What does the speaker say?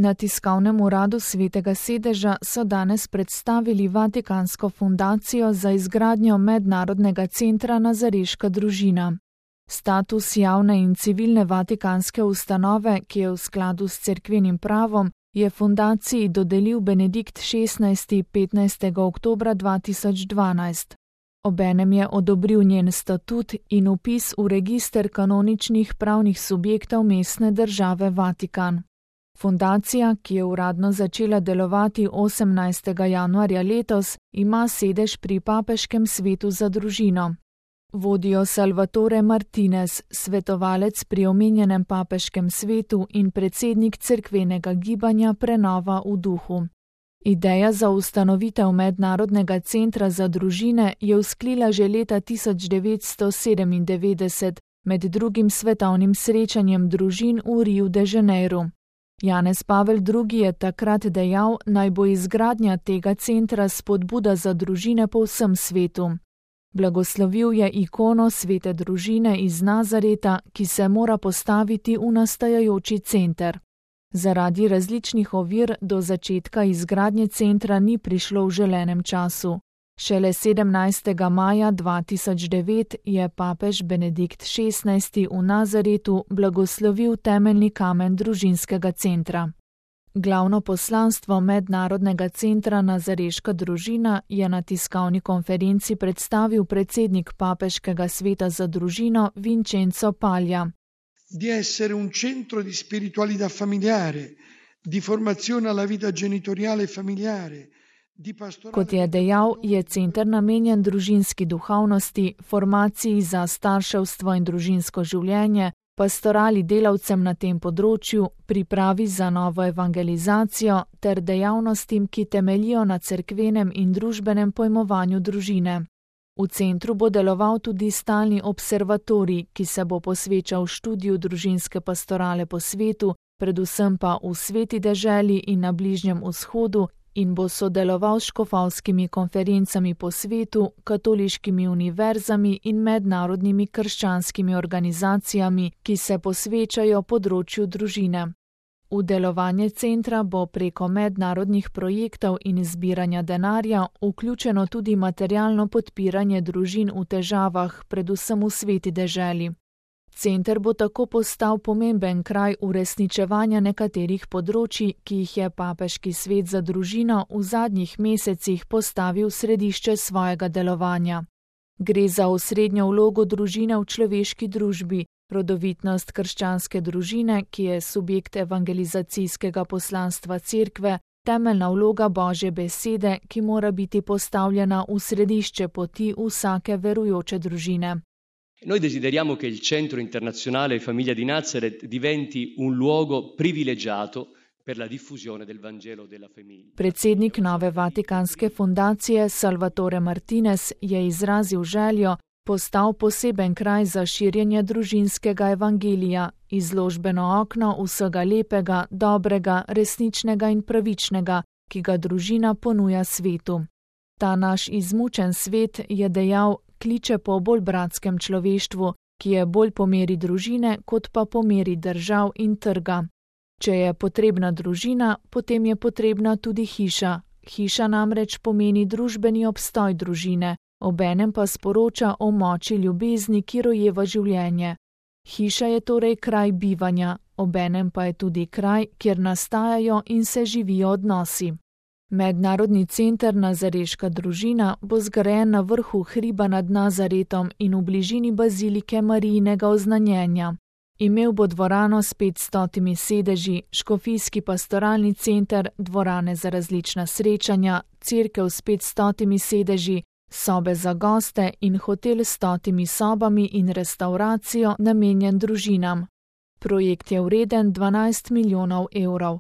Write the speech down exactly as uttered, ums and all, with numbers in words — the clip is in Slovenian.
Na tiskovnem uradu Svetega sedeža so danes predstavili Vatikansko fundacijo za izgradnjo mednarodnega centra Nazareška družina. Status javne in civilne vatikanske ustanove, ki je v skladu s cerkvenim pravom, je fundaciji dodelil Benedikt šestnajsti petnajstega oktobra dva tisoč dvanajst. Obenem je odobril njen statut in vpis v register kanoničnih pravnih subjektov mestne države Vatikan. Fundacija, ki je uradno začela delovati osemnajstega januarja letos, ima sedež pri Papeškem svetu za družino. Vodijo Salvatore Martinez, svetovalec pri omenjenem papeškem svetu in predsednik cerkvenega gibanja Prenova v duhu. Ideja za ustanovitev mednarodnega centra za družine je vzklila že leta tisoč devetsto sedemindevetdeset med drugim svetovnim srečanjem družin v Riu de Janeiru. Janez Pavel drugi je takrat dejal, naj bo izgradnja tega centra spodbuda za družine po vsem svetu. Blagoslovil je ikono svete družine iz Nazareta, ki se mora postaviti v nastajajoči center. Zaradi različnih ovir do začetka izgradnje centra ni prišlo v želenem času. Šele sedemnajstega maja dva tisoč devet je papež Benedikt šestnajsti v Nazaretu blagoslovil temeljni kamen družinskega centra. Glavno poslanstvo mednarodnega centra Nazareška družina je na tiskovni konferenci predstavil predsednik Papeškega sveta za družino Vincenzo Paglia. Di essere un centro di spiritualità familiare, di formazione alla vita genitoriale e familiare. Kot je dejal, je center namenjen družinski duhovnosti, formaciji za starševstvo in družinsko življenje, pastorali delavcem na tem področju, pripravi za novo evangelizacijo ter dejavnostim, ki temeljijo na cerkvenem in družbenem pojmovanju družine. V centru bo deloval tudi stalni observatorij, ki se bo posvečal študiju družinske pastorale po svetu, predvsem pa v Sveti deželi in na Bližnjem vzhodu, in bo sodeloval s škofovskimi konferencami po svetu, katoliškimi univerzami in mednarodnimi krščanskimi organizacijami, ki se posvečajo področju družine. V delovanje centra bo preko mednarodnih projektov in zbiranja denarja vključeno tudi materialno podpiranje družin v težavah, predvsem v Sveti deželi. Center bo tako postal pomemben kraj uresničevanja nekaterih področij, ki jih je Papeški svet za družino v zadnjih mesecih postavil v središče svojega delovanja. Gre za osrednjo vlogo družine v človeški družbi, rodovitnost krščanske družine, ki je subjekt evangelizacijskega poslanstva cerkve, temeljna vloga Božje besede, ki mora biti postavljena v središče poti vsake verujoče družine. Noi desideriamo che il Centro Internazionale Famiglia di Nazareth diventi un luogo privilegiato per la diffusione del Vangelo della famiglia. Predsednik nove Vatikanske fundacije Salvatore Martinez je izrazil željo postal poseben kraj za širjenje družinskega evangelija, izložbeno okno vsega lepega, dobrega, resničnega in pravičnega, ki ga družina ponuja svetu. Ta naš izmučen svet, je dejal, kliče po bolj bratskem človeštvu, ki je bolj po meri družine, kot pa po meri držav in trga. Če je potrebna družina, potem je potrebna tudi hiša. Hiša namreč pomeni družbeni obstoj družine, obenem pa sporoča o moči ljubezni, ki rojeva življenje. Hiša je torej kraj bivanja, obenem pa je tudi kraj, kjer nastajajo in se živijo odnosi. Mednarodni center Nazareška družina bo zgrajen na vrhu hriba nad Nazaretom in v bližini bazilike Marijinega oznanjenja. Imel bo dvorano s petstotimi sedeži, škofijski pastoralni center, dvorane za različna srečanja, cerkev s petstotimi sedeži, sobe za goste in hotel s stotimi sobami in restauracijo namenjen družinam. Projekt je vreden dvanajst milijonov evrov.